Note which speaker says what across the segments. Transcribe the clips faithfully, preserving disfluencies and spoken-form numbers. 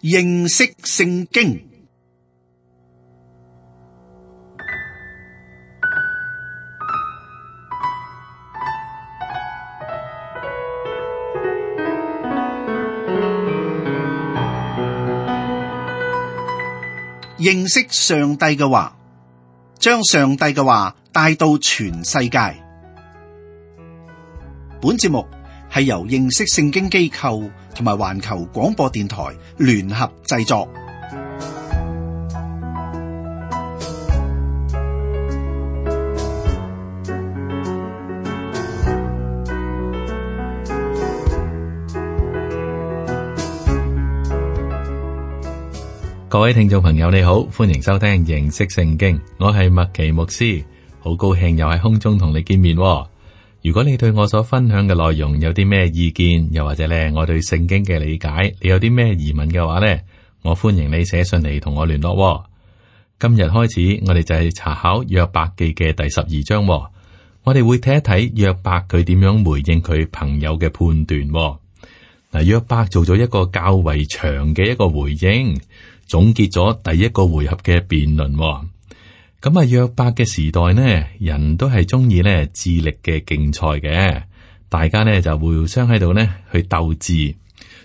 Speaker 1: 認識聖經。認識上帝嘅話，將上帝嘅話帶到全世界。本節目係由認識聖經機構同埋環球廣播電台聯合製作。
Speaker 2: 各位聽眾朋友你好，歡迎收聽認識聖經，我係麥奇牧師，好高興又喺空中同你見面。如果你對我所分享嘅內容有啲咩意見，又或者咧我對聖經嘅理解，你有啲咩疑問嘅話咧，我歡迎你寫信嚟同我聯絡。今日開始，我哋就係查考約伯記嘅第十二章，我哋會睇一睇約伯佢點樣回應佢朋友嘅判斷。嗱，約伯做咗一個較為長嘅一個回應，總結咗第一個回合嘅辯論。咁啊，約伯嘅時代呢，人都係中意呢智力嘅競賽嘅，大家呢就互相喺度呢去鬥智。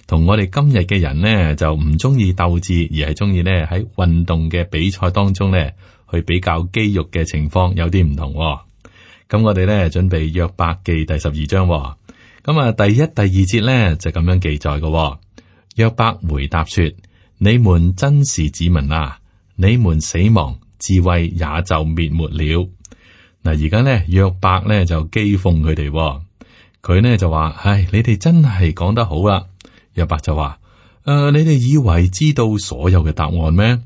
Speaker 2: 同我哋今日嘅人呢就唔中意鬥智，而係中意呢喺運動嘅比賽當中呢去比較肌肉嘅情況有啲唔同。咁我哋呢準備約伯記第十二章。咁啊，第一、第二節呢就咁樣記載嘅。約伯回答說：你們真是子民啊！你們死亡，智慧也就滅沒了。嗱，而家呢，約伯呢就譏諷佢哋，佢呢就話：唉，你哋真係講得好啦。約伯就話：誒、呃，你哋以為知道所有嘅答案咩？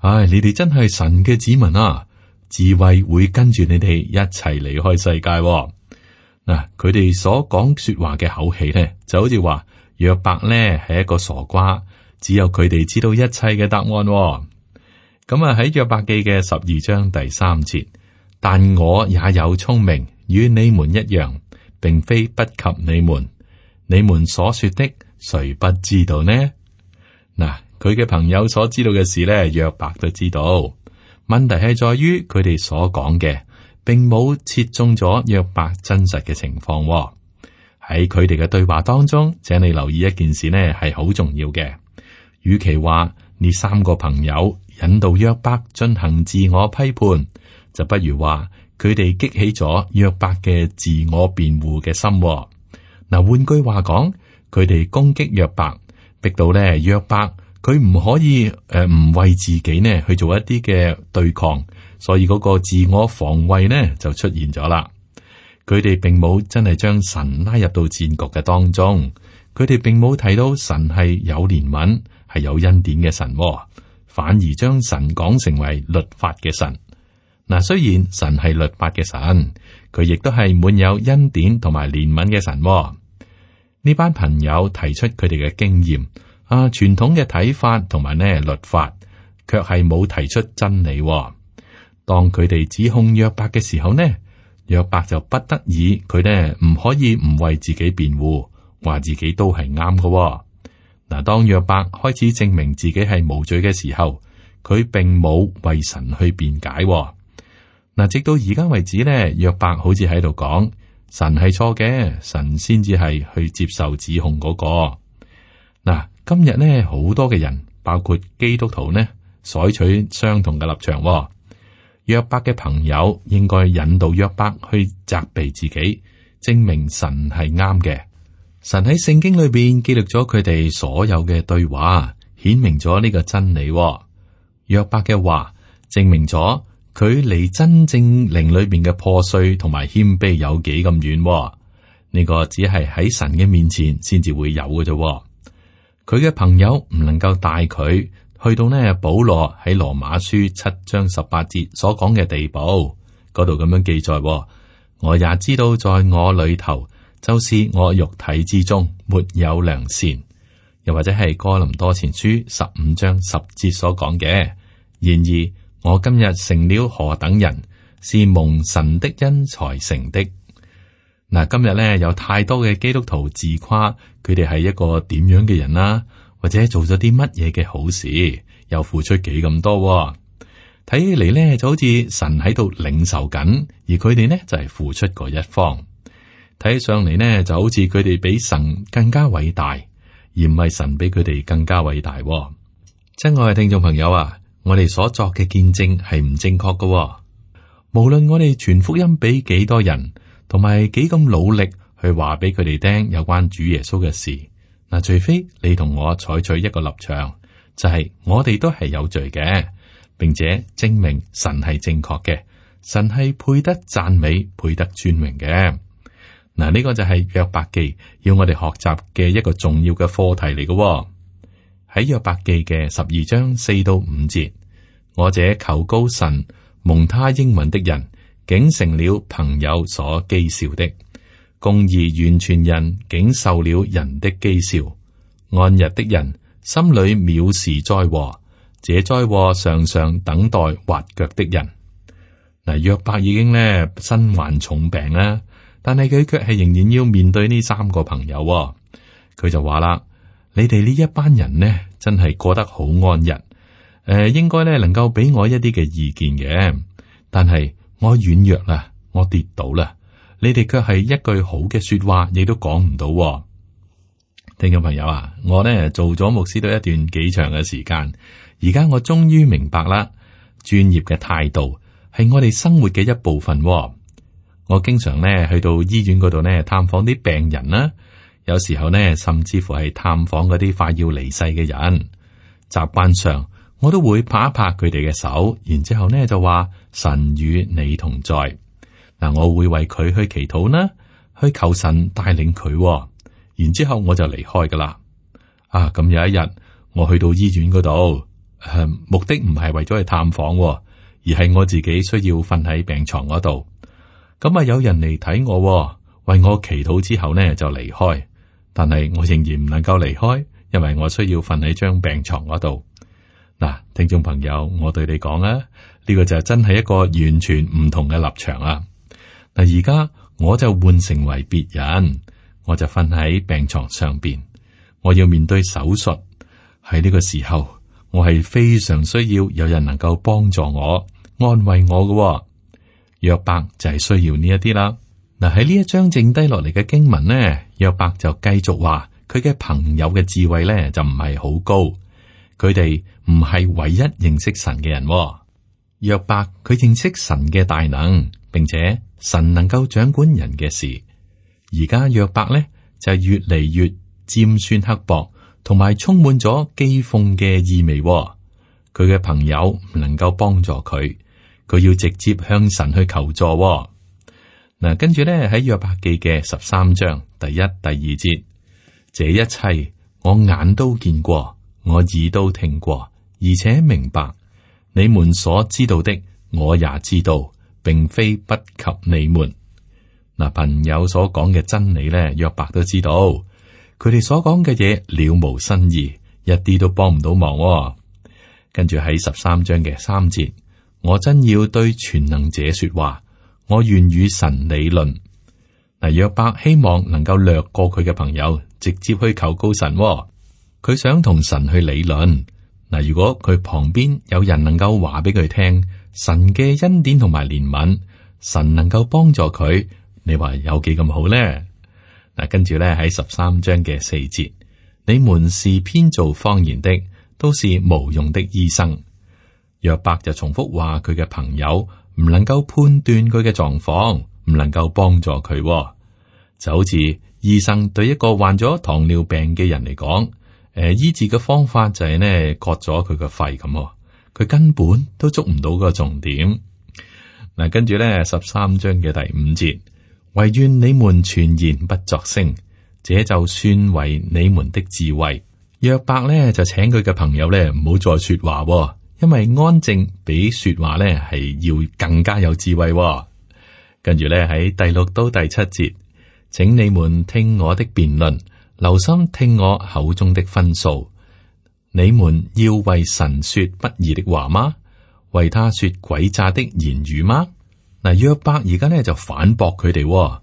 Speaker 2: 唉，你哋真係神嘅子民啊！智慧會跟住你哋一齊離開世界。嗱，佢哋所講說話嘅口氣呢，就好似話約伯呢係一個傻瓜。只有佢哋知道一切嘅答案。咁啊，喺約伯記嘅十二章第三節，但我也有聰明，與你們一樣，並非不及你們。你們所說的，誰不知道呢？嗱，佢嘅朋友所知道嘅事呢，約伯都知道。問題係在於佢哋所講嘅，並冇切中咗約伯真實嘅情況。喺佢哋嘅對話當中，請你留意一件事呢，係好重要嘅。與其話呢三個朋友引導約伯進行自我批判，就不如話佢哋激起咗約伯嘅自我辯護嘅心。嗱，換句話講，佢哋攻擊約伯，逼到咧約伯佢唔可以誒唔為自己呢去做一啲嘅對抗，所以嗰個自我防衛呢就出現咗啦。佢哋並冇真係將神拉入到戰局嘅當中，佢哋並冇睇到神係有憐憫，係有恩典嘅神，反而將神講成為律法嘅神。嗱，雖然神係律法嘅神，佢亦都係滿有恩典同埋憐憫嘅神。呢班朋友提出佢哋嘅經驗啊，傳統嘅睇法同埋呢律法，卻係冇提出真理。當佢哋指控約伯嘅時候呢，約伯就不得已，佢呢唔可以唔為自己辯護，話自己都係啱嘅。嗱，當約伯開始證明自己係無罪嘅時候，佢並冇為神去辯解。嗱，直到而家為止咧，約伯好似喺度講神係錯嘅，神先至係去接受指控嗰個。嗱，今日呢，好多嘅人，包括基督徒呢，採取相同嘅立場。約伯嘅朋友應該引導約伯去責備自己，證明神係啱嘅。神喺聖經裏邊記錄咗佢哋所有嘅對話，顯明咗呢個真理。約伯嘅話證明咗佢離真正靈裏邊嘅破碎同埋謙卑有幾咁遠。呢個只係喺神嘅面前先至會有嘅啫。佢嘅朋友唔能夠帶佢去到呢保羅喺羅馬書七章十八節所講嘅地步，嗰度咁樣記載。我也知道在我裏頭，就是我肉體之中沒有良善，又或者係哥林多前書十五章十節所講嘅。然而我今日成了何等人，是蒙神的恩才成的。嗱，今日咧有太多嘅基督徒自誇佢哋係一個點樣嘅人啦，或者做咗啲乜嘢嘅好事，又付出幾咁多，睇起嚟咧就好似神喺度領受緊，而佢哋呢就係付出嗰一方。睇起上嚟呢就好似佢哋比神更加偉大，而唔係神比佢哋更加偉大。親愛嘅聽眾朋友啊，我哋所作嘅見證係唔正確嘅。無論我哋傳福音俾幾多人，同埋幾咁努力去話俾佢哋聽有關主耶穌嘅事，嗱，除非你同我採取一個立場，就係我哋都係有罪嘅，並且證明神係正確嘅，神係配得讚美、配得尊榮嘅。嗱，呢個就係約伯記要我哋學習嘅一個重要嘅課題嚟嘅。喺約伯記嘅十二章四到五節，我這求告神蒙他應允的人，竟成了朋友所譏笑的；公義完全人竟受了人的譏笑。安逸的人心裏藐視災禍，這災禍常常等待滑腳的人。嗱，約伯已經咧身患重病啦，但係佢卻係仍然要面對呢三個朋友。佢就話啦：你哋呢一班人呢，真係過得好安逸。誒、呃，應該咧能夠俾我一啲嘅意見嘅，但係我軟弱啦，我跌倒啦，你哋卻係一句好嘅說話，亦都講唔到。聽眾朋友啊，我呢做咗牧師都一段幾長嘅時間，而家我終於明白啦，專業嘅態度係我哋生活嘅一部分。我經常呢去到醫院嗰度呢探訪啲病人啦，有時候呢甚至乎係探訪嗰啲快要離世嘅人，習慣上。我都會拍一拍佢哋嘅手，然之後呢就話神與你同在。嗱，我會為佢去祈禱啦，去求神帶領佢。然之後我就離開噶啦。啊，咁有一日我去到醫院嗰度，誒，目的唔係為咗去探訪，而係我自己需要瞓喺病床嗰度。咁啊，有人嚟睇我，為我祈禱之後呢就離開。但係我仍然唔能夠離開，因為我需要瞓喺張病床嗰度。嗱，聽眾朋友，我對你講啊，呢個就真係一個完全唔同嘅立場啊！嗱，而家我就換成為別人，我就瞓喺病床上邊，我要面對手術。喺呢個時候，我係非常需要有人能夠幫助我、安慰我嘅。約伯就係需要呢一啲啦。嗱，喺呢一章剩低落嚟嘅經文呢，約伯就繼續話佢嘅朋友嘅智慧咧就唔係好高。佢哋唔係唯一認識神嘅人。約伯佢認識神嘅大能，並且神能夠掌管人嘅事。而家約伯咧就係越嚟越尖酸刻薄，同埋充滿咗譏諷嘅意味。佢嘅朋友唔能夠幫助佢，佢要直接向神去求助。嗱，跟住咧喺約伯記嘅十三章第一、第二節，這一切我眼都見過。我耳都聽過，而且明白你們所知道的，我也知道，並非不及你們。嗱，朋友所講嘅真理咧，約伯都知道。佢哋所講嘅嘢了無新意，一啲都幫唔到忙。跟住喺十三章嘅三節，我真要對全能者說話，我願與神理論。嗱，約伯希望能夠略過佢嘅朋友，直接去求告神。佢想同神去理論。嗱，如果佢旁邊有人能夠話俾佢聽神嘅恩典同埋憐憫，神能夠幫助佢，你話有幾咁好呢？嗱，跟住咧喺十三章嘅四節，你們是編造謊言的，都是無用的醫生。約伯就重複話佢嘅朋友唔能夠判斷佢嘅狀況，唔能夠幫助佢，就好似醫生對一個患咗糖尿病嘅人嚟講。誒，醫治嘅方法就係呢，割咗佢個肺咁，佢根本都捉唔到個重點。嗱，跟住咧十三章嘅第五節，唯願你們全然不作聲，這就算為你們的智慧。約伯咧就請佢嘅朋友咧唔好再說話，因為安靜比說話咧係要更加有智慧。跟住咧喺第六到第七節，請你們聽我的辯論。留心聽我口中的分數，你們要為神說不義的話嗎？為他說詭詐的言語嗎？嗱，約伯而家呢就反駁佢哋，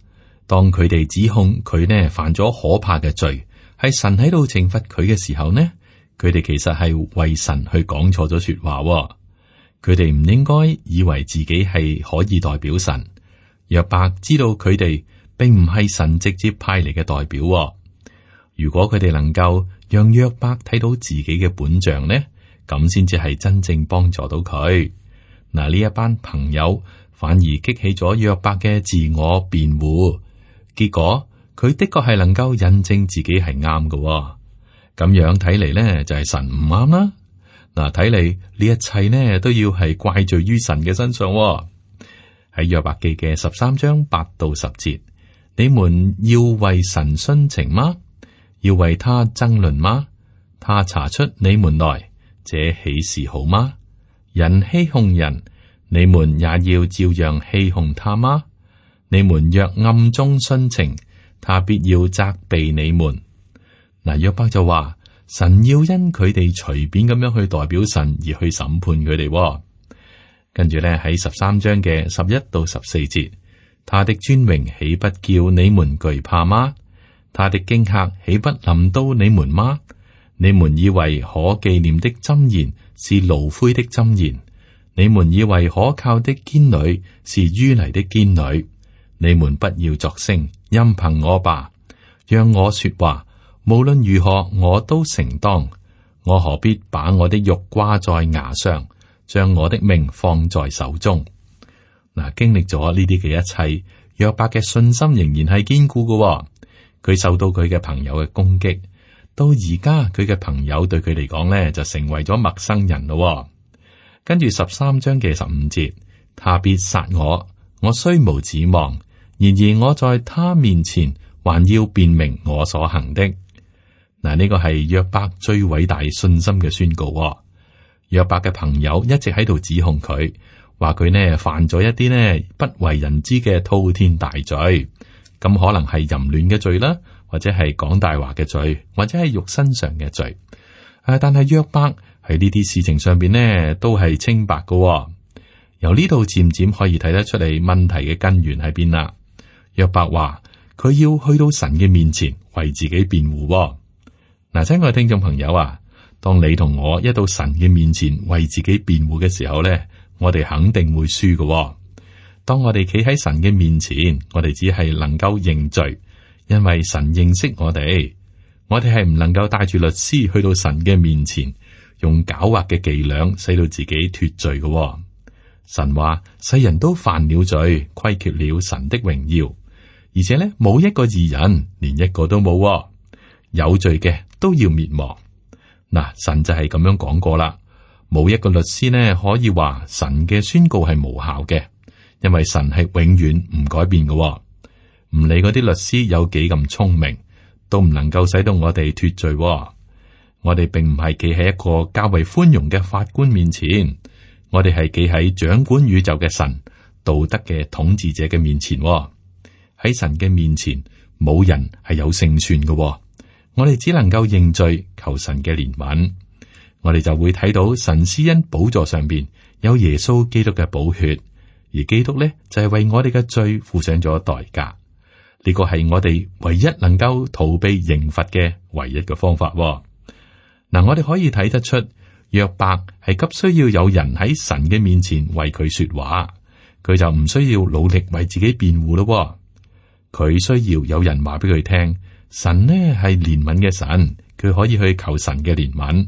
Speaker 2: 當佢哋指控佢呢犯咗可怕嘅罪，係神喺度懲罰佢嘅時候呢，佢哋其實係為神去講錯咗說話喎。佢哋唔應該以為自己係可以代表神。約伯知道佢哋並唔係神直接派嚟嘅代表喎。如果佢哋能夠讓約伯睇到自己嘅本相呢，咁先至係真正幫助到佢。嗱，呢一班朋友反而激起咗約伯嘅自我辯護，結果佢的確係能夠印證自己係啱嘅。咁樣睇嚟呢，就係神唔啱啦。嗱，睇嚟呢一切呢都要係怪罪於神嘅身上。喺約伯記嘅十三章八到十節，你們要為神徇情嗎？要為他爭論嗎？他查出你們來，這豈是好嗎？人欺哄人，你們也要照樣欺哄他嗎？你們若暗中徇情，他必要責備你們。嗱，約伯就話神要因佢哋隨便咁樣去代表神而去審判佢哋。跟住咧喺十三章嘅十一到十四節，他的尊榮豈不叫你們懼怕嗎？他的驚嚇豈不臨到你們嗎？你們以為可紀念的箴言是爐灰的箴言，你們以為可靠的堅壘是淤泥的堅壘。你們不要作聲，任憑我吧，讓我說話。無論如何，我都承當。我何必把我的肉掛在牙上，將我的命放在手中？嗱，經歷咗呢啲嘅一切，約伯嘅信心仍然係堅固嘅。佢受到佢嘅朋友嘅攻擊，到而家佢嘅朋友對佢嚟講呢，就成為咗陌生人咯。跟住十三章嘅十五節，他必殺我，我雖無指望，然而我在他面前還要辨明我所行的。嗱，呢個係約伯最偉大信心嘅宣告。約伯嘅朋友一直喺度指控佢，話佢呢犯咗一啲呢不為人知嘅滔天大罪。咁可能係淫亂嘅罪啦，或者係講大話嘅罪，或者係肉身上嘅罪。誒，但係約伯喺呢啲事情上邊呢，都係清白嘅。由呢度漸漸可以睇得出嚟問題嘅根源喺邊啦。約伯話佢要去到神嘅面前為自己辯護。嗱，親愛嘅聽眾朋友啊，當你同我一到神嘅面前為自己辯護嘅時候呢，我哋肯定會輸嘅。當我哋企喺神嘅面前，我哋只係能夠認罪，因為神認識我哋。我哋係唔能夠帶住律師去到神嘅面前，用狡猾嘅伎倆使到自己脫罪嘅。神話世人都犯了罪，虧缺了神的榮耀，而且呢，冇一個義人，連一個都冇，有罪嘅都要滅亡。嗱，神就係咁樣講過啦，冇一個律師呢可以話神嘅宣告係無效嘅。因為神係永遠唔改變嘅。唔理嗰啲律師有幾咁聰明，都唔能夠使到我哋脫罪。我哋並唔係企喺一個較為寬容嘅法官面前，我哋係企喺掌管宇宙嘅神、道德嘅統治者嘅面前。喺神嘅面前，冇人係有勝算嘅。我哋只能夠認罪，求神嘅憐憫。我哋就會睇到神施恩寶座上邊有耶穌基督嘅寶血。而基督咧就係、是、為我哋嘅罪付上咗代價，呢、這個係我哋唯一能夠逃避刑罰嘅唯一嘅方法。嗱、嗯，我哋可以睇得出約伯係急需要有人喺神嘅面前為佢說話，佢就唔需要努力為自己辯護咯。佢需要有人話俾佢聽，神呢係憐憫嘅神，佢可以去求神嘅憐憫。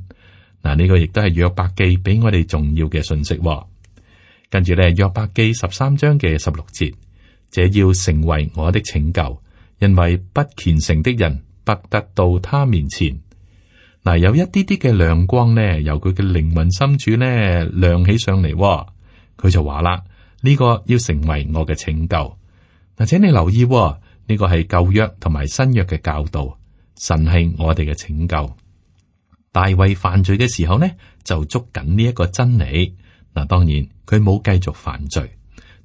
Speaker 2: 嗱、嗯，呢、這個亦都係約伯記俾我哋重要嘅信息。跟住咧，約伯記十三章嘅十六節，這要成為我的拯救，因為不虔誠的人不得到他面前。嗱，有一啲啲嘅亮光呢，由佢嘅靈魂深處呢亮起上嚟。佢就話啦，呢個要成為我嘅拯救。嗱，請你留意，呢個係舊約同埋新約嘅教導。神係我哋嘅拯救。大衛犯罪嘅時候呢，就捉緊呢一個真理。嗱，當然佢冇繼續犯罪，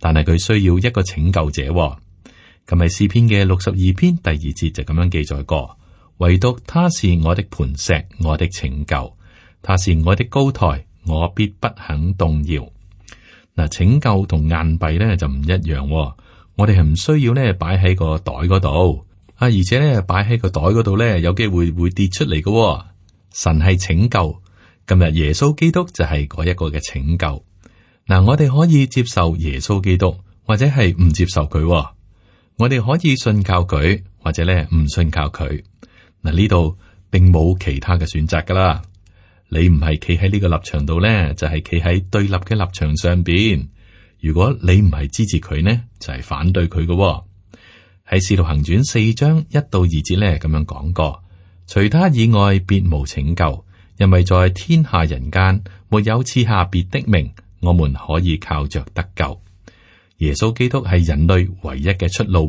Speaker 2: 但係佢需要一個拯救者。咁喺詩篇嘅六十二篇第二節就咁樣記載過，唯獨他是我的磐石，我的拯救，他是我的高台，我必不肯動搖。嗱，拯救同硬幣咧就唔一樣，我哋係唔需要咧擺喺個袋嗰度啊，而且咧擺喺個袋嗰度咧有機會會跌出嚟嘅。神係拯救，今日耶穌基督就係嗰一個嘅拯救。嗱，我哋可以接受耶穌基督，或者係唔接受佢。我哋可以信靠佢，或者咧唔信靠佢。嗱，呢度並冇其他嘅選擇噶啦。你唔係企喺呢個立場度咧，就係企喺對立嘅立場上邊。如果你唔係支持佢呢，就係、是、反對佢嘅。喺《使徒行傳》四章一到二節咧咁樣講過，除他以外別無拯救，因為在天下人間沒有賜下別的名，我們可以靠着得救。耶穌基督係人類唯一嘅出路。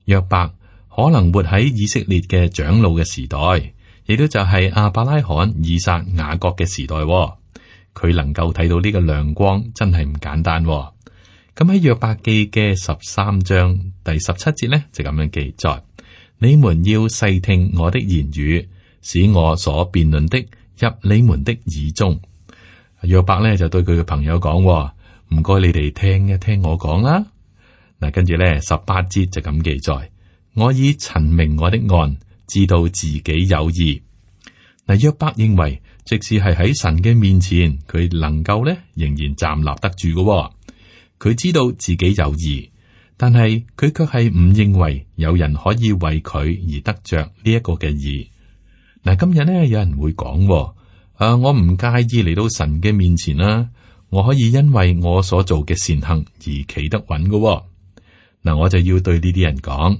Speaker 2: 約伯可能活喺以色列嘅長老嘅時代，亦都就係亞伯拉罕、以撒、雅各嘅時代。佢能夠睇到呢個亮光，真係唔簡單。咁喺約伯記嘅十三章第十七節呢，就咁樣記載：你們要細聽我的言語，使我所辯論的入你們的耳中。約伯呢就對佢嘅朋友講：唔該，你哋聽一聽我講啦。嗱，跟住咧十八節就咁記載：我已陳明我的案，知道自己有義。嗱，約伯認為，即使係喺神嘅面前，佢能夠咧仍然站立得住嘅。佢知道自己有義，但係佢卻係唔認為有人可以為佢而得着呢一個嘅義。嗱，今日咧有人會講：誒、啊，我唔介意嚟到神嘅面前啦，我可以因為我所做嘅善行而企得穩嘅。嗱，我就要對呢啲人講，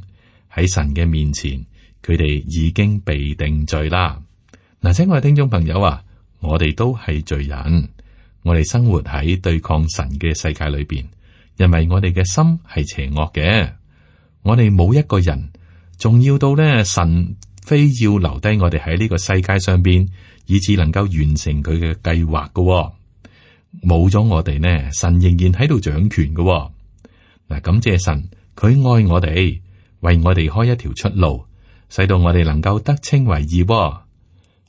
Speaker 2: 喺神嘅面前，佢哋已經被定罪啦。嗱，親愛嘅聽眾朋友啊，我哋都係罪人，我哋生活喺對抗神嘅世界裏邊，因為我哋嘅心係邪惡嘅。我哋冇一個人重要到咧，神非要留低我哋喺呢個世界上邊，以致能夠完成佢嘅計劃嘅。冇咗我哋呢，神仍然喺度掌權嘅。嗱，感謝神，佢愛我哋，為我哋開一條出路，使到我哋能夠得稱為義。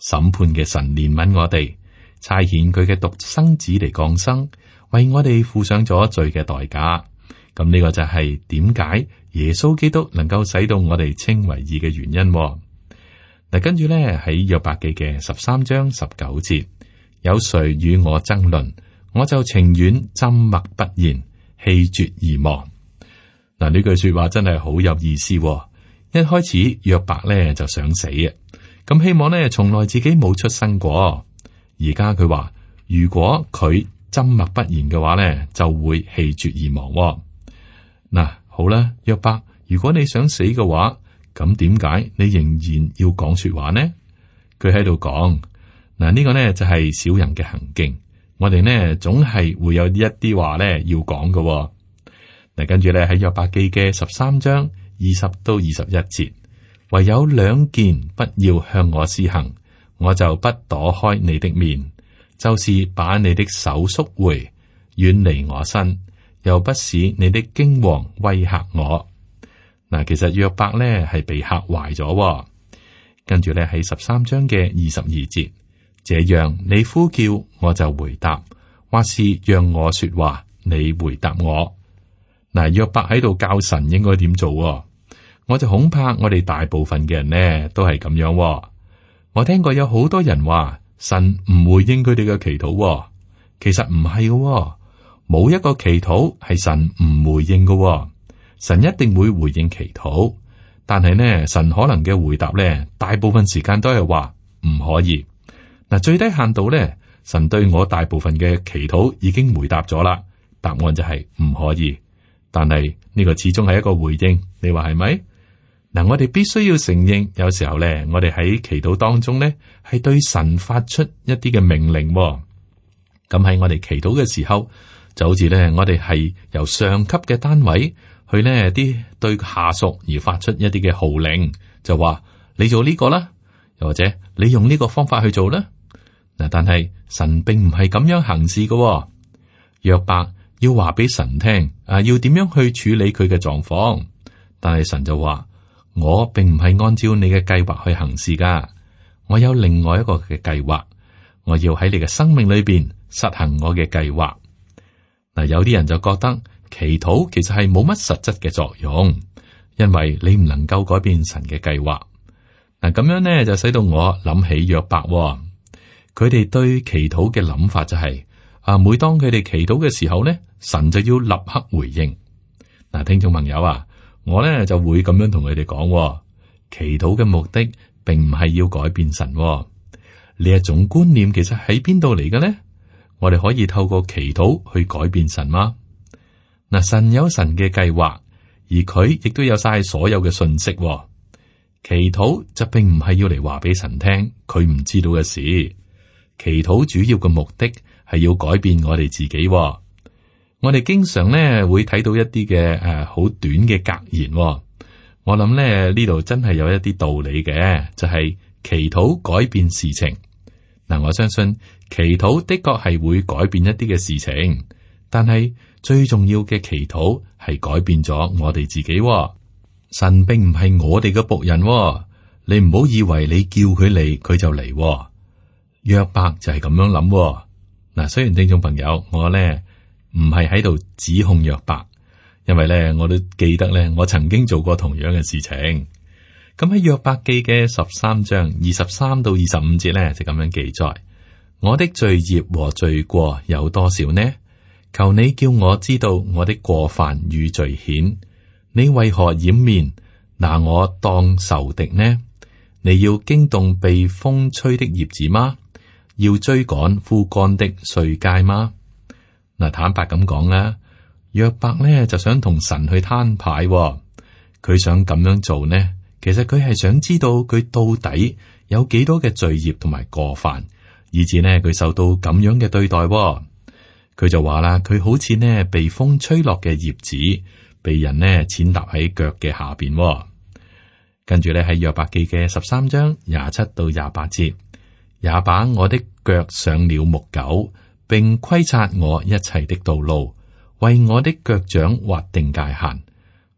Speaker 2: 審判嘅神憐憫我哋，差遣佢嘅獨生子嚟降生，為我哋付上咗罪嘅代價。咁呢個就係點解耶穌基督能夠使到我哋稱為義嘅原因。嗱，跟住咧喺約伯記嘅十三章十九節，有誰與我爭論，我就情願緘默不言，氣絕而亡。嗱，呢句說話真係好有意思。一開始約伯咧就想死啊，咁希望咧從來自己冇出生過。而家佢話，如果佢緘默不言嘅話咧，就會氣絕而亡。嗱，好啦，約伯，如果你想死嘅話，咁點解你仍然要講說話呢？佢喺度講，嗱，呢個呢就係小人嘅行徑。我哋呢總係會有一啲話咧要講嘅。嗱，跟住咧喺約伯記嘅十三章二十到二十一節，唯有兩件不要向我施行，我就不躲開你的面，就是把你的手縮回，遠離我身，又不使你的驚惶威嚇我。嗱，其實約伯咧係被嚇壞咗。跟住咧喺十三章嘅二十二節，這樣你呼叫我就回答，或是讓我說話，你回答我。嗱，約伯喺度教神應該點做，我就恐怕我哋大部分嘅人呢都係咁樣。我聽過有好多人話神唔回應佢哋嘅祈禱，其實唔係嘅，冇一個祈禱係神唔回應嘅，神一定會回應祈禱，但係呢，神可能嘅回答呢，大部分時間都係話唔可以。嗱，最低限度呢，神對我大部分嘅祈禱已經回答咗啦，答案就係唔可以。但係呢個始終係一個回應，你話係咪？嗱，我哋必須要承認，有時候咧，我哋喺祈禱當中咧，係對神發出一啲嘅命令。咁喺我哋祈禱嘅時候，就好似咧，我哋係由上級嘅單位去呢啲對下屬而發出一啲嘅號令，就話你做呢個啦，又或者你用呢個方法去做啦。嗱，但係神並唔係咁樣行事嘅。約伯要話俾神聽，啊，要點樣去處理佢嘅狀況，但係神就話，我並唔係按照你嘅計劃去行事噶，我有另外一個嘅計劃，我要喺你嘅生命裏邊實行我嘅計劃。嗱，有啲人就覺得祈禱其實係冇乜實質嘅作用，因為你唔能夠改變神嘅計劃。嗱，咁樣呢就使到我諗起約伯，佢哋對祈禱嘅諗法就係啊，每當佢哋祈禱嘅時候呢，神就要立刻回應。嗱，聽眾朋友啊，我呢就會咁樣同佢哋講，祈禱嘅目的並唔係要改變神。呢一種觀念其實喺邊度嚟嘅呢？我哋可以透過祈禱去改變神嗎？嗱，神有神嘅計劃，而佢亦都有晒所有嘅信息。祈禱就並唔係要嚟話俾神聽佢唔知道嘅事。祈禱主要嘅目的係要改變我哋自己。我哋經常咧會睇到一啲嘅誒好短嘅格言。我諗咧呢度真係有一啲道理嘅，就係祈禱改變事情。嗱，我相信祈禱的確係會改變一啲嘅事情，但係最重要嘅祈禱係改變咗我哋自己。神並唔係我哋嘅僕人，你唔好以為你叫佢嚟，佢就嚟。約伯就係咁樣諗。嗱，雖然聽眾朋友，我咧唔係喺度指控約伯，因為咧我都記得咧，我曾經做過同樣嘅事情。咁喺約伯記嘅十三章二十三到二十五節咧，就咁樣記載：我的罪孽和罪過有多少呢？求你叫我知道我的過犯與罪愆。你為何掩面，拿我當仇敵呢？你要驚動被風吹的葉子嗎？要追趕枯乾的碎秸嗎？嗱，坦白咁講啦，約伯呢就想同神去攤牌，佢想咁樣做呢，其實佢係想知道佢到底有幾多嘅罪孽同埋過犯，以至呢佢受到咁樣嘅對待。佢就話啦，佢好似呢被風吹落嘅葉子，被人呢踐踏喺腳嘅下邊。跟住咧喺約伯記嘅十三章廿七到廿八節，也把我的腳上了木狗，並規察我一切的道路，為我的腳掌劃定界限。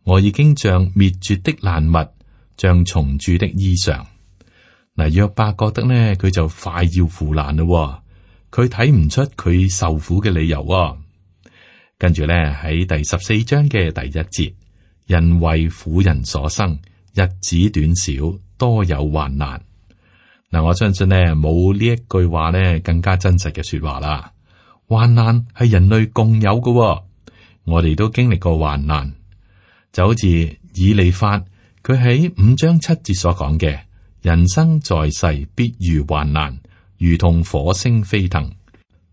Speaker 2: 我已經像滅絕的爛物，像蟲蛀的衣裳。嗱，約伯覺得呢，佢就快要腐爛咯。佢睇唔出佢受苦嘅理由。跟住咧喺第十四章嘅第一節，人為婦人所生，日子短少，多有患難。嗱，我相信呢冇呢一句話呢更加真實嘅說話啦。患難係人類共有嘅，我哋都經歷過患難，就好似以利法佢喺五章七節所講嘅，人生在世必遇患難，如同火星飛騰。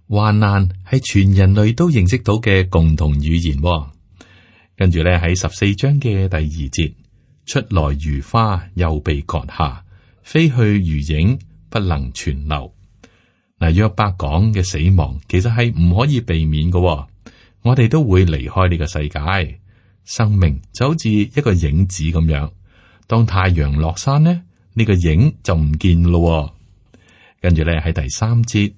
Speaker 2: 患難係全人類都認識到嘅共同語言。跟住咧喺十四章嘅第二節，出來如花，又被割下，飛去如影，不能存留。嗱，約伯講嘅死亡其實係唔可以避免嘅。我哋都會離開呢個世界，生命就好似一個影子咁樣。當太陽落山呢，呢個影就唔見咯。跟住咧喺第三節，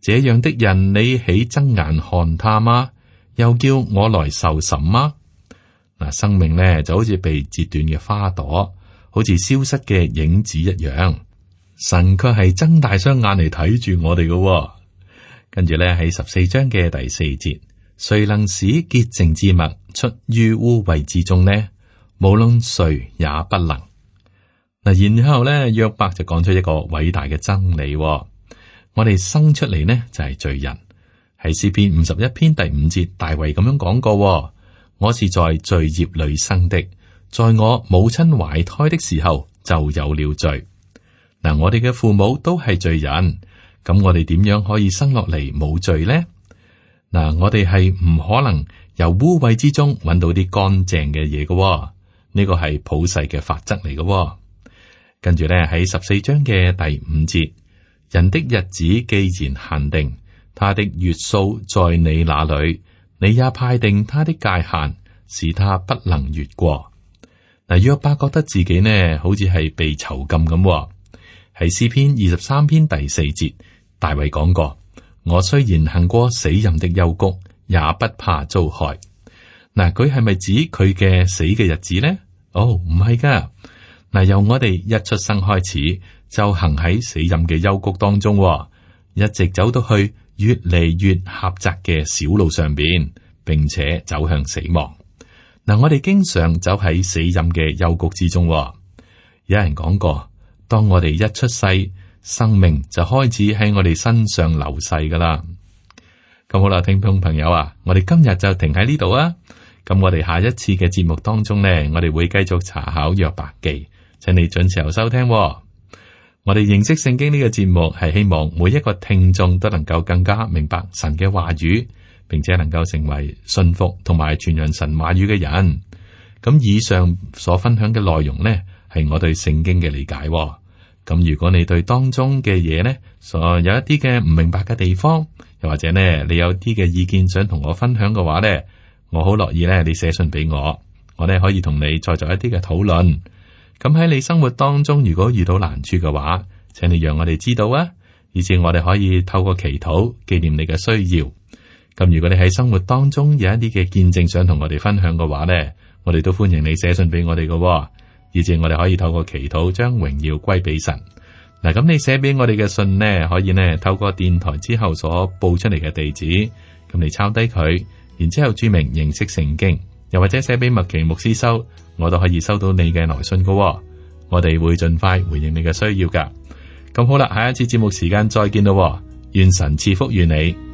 Speaker 2: 這樣的人你起睜眼看他嗎？又叫我來受審嗎？嗱，生命咧就好似被截斷嘅花朵，好似消失嘅影子一樣。神卻係睜大雙眼嚟睇住我哋嘅。跟住咧喺十四章嘅第四節，誰能使潔淨之物出於污穢之中呢？無論誰也不能。嗱，然後咧約伯就講出一個偉大嘅真理。我哋生出嚟呢就係罪人。喺詩篇五十一篇第五節，大衛咁樣講過：我是在罪孽裏生的，在我母親懷胎的時候就有了罪。嗱，我哋嘅父母都係罪人，咁我哋點樣可以生落嚟冇罪呢？嗱，我哋係唔可能由污穢之中揾到啲乾淨嘅嘢嘅，呢個係普世嘅法則嚟嘅。跟住咧喺十四章嘅第五節，人的日子既然限定，他的月數在你那裏，你也派定他的界限，使他不能越過。嗱，約伯覺得自己呢好似係被囚禁咁。喺詩篇二十三篇第四節，大衛講過：我雖然行過死蔭的幽谷，也不怕遭害。嗱，佢係咪指佢嘅死嘅日子呢？哦，唔係噶。嗱，由我哋一出生開始，就行喺死蔭嘅幽谷當中，一直走到去越嚟越狹窄嘅小路上邊，並且走向死亡。嗱，我哋經常走喺死蔭嘅幽谷之中。有人講過，當我哋一出世，生命就開始喺我哋身上流逝噶啦。咁好啦，聽眾朋友啊，我哋今日就停喺呢度啊。咁我哋下一次嘅節目當中呢，我哋會繼續查考約伯記，請你準時收聽喎。我哋認識聖經呢個節目係希望每一個聽眾都能夠更加明白神嘅話語，並且能夠成為信服同埋傳揚神話語嘅人。咁以上所分享嘅內容呢，係我對聖經嘅理解喎。咁如果你對當中嘅嘢呢，所有一啲嘅唔明白嘅地方，又或者呢，你有啲嘅意見想同我分享嘅話呢，我好樂意咧，你寫信俾我，我呢可以同你再做一啲嘅討論。咁喺你生活當中，如果遇到難處嘅話，請你讓我哋知道啊，以至我哋可以透過祈禱紀念你嘅需要。咁如果你喺生活當中有一啲嘅見證想同我哋分享嘅話呢，我哋都歡迎你寫信俾我哋嘅，以至我哋可以透過祈禱將榮耀歸俾神。嗱，咁你寫俾我哋嘅信呢，可以呢透過電台之後所報出嚟嘅地址，咁你抄低佢。然之後注明認識聖經，又或者寫俾麥奇牧師收，我都可以收到你嘅來信噶喎。我哋會盡快回應你嘅需要噶。咁好啦，下一次節目時間再見咯喎，願神賜福於你。